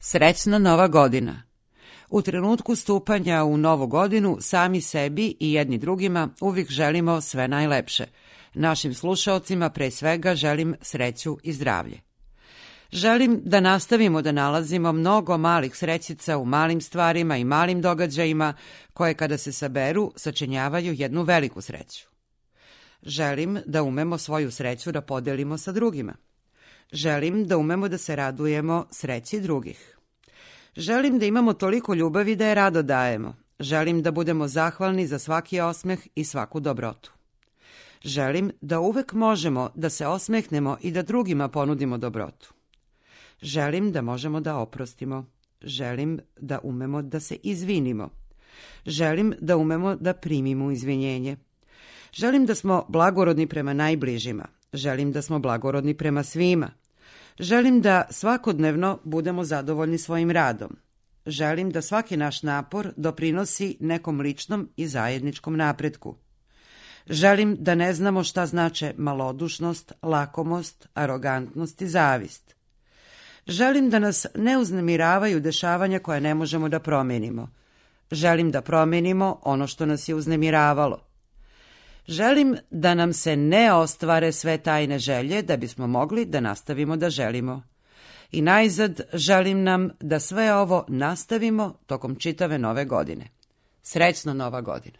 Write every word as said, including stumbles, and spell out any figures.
Srećna Nova godina! U trenutku stupanja u novu godinu sami sebi i jedni drugima uvijek želimo sve najlepše. Našim slušaocima pre svega želim sreću i zdravlje. Želim da nastavimo da nalazimo mnogo malih srećica u malim stvarima i malim događajima koje kada se saberu sačinjavaju jednu veliku sreću. Želim da umemo svoju sreću da podelimo sa drugima. Želim da umemo da se radujemo sreći drugih. Želim da imamo toliko ljubavi da je rado dajemo. Želim da budemo zahvalni za svaki osmeh i svaku dobrotu. Želim da uvek možemo da se osmehnemo i da drugima ponudimo dobrotu. Želim da možemo da oprostimo. Želim da umemo da se izvinimo. Želim da umemo da primimo izvinjenje. Želim da smo blagorodni prema najbližima. Želim da smo blagorodni prema svima. Želim da svakodnevno budemo zadovoljni svojim radom. Želim da svaki naš napor doprinosi nekom ličnom i zajedničkom napretku. Želim da ne znamo šta znače malodušnost, lakomost, arogantnost i zavist. Želim da nas ne uznemiravaju dešavanja koje ne možemo da promenimo. Želim da promenimo ono što nas je uznemiravalo. Želim da nam se ne ostvare sve tajne želje da bismo mogli da nastavimo da želimo. I najzad želim nam da sve ovo nastavimo tokom čitave nove godine. Srećna Nova godina!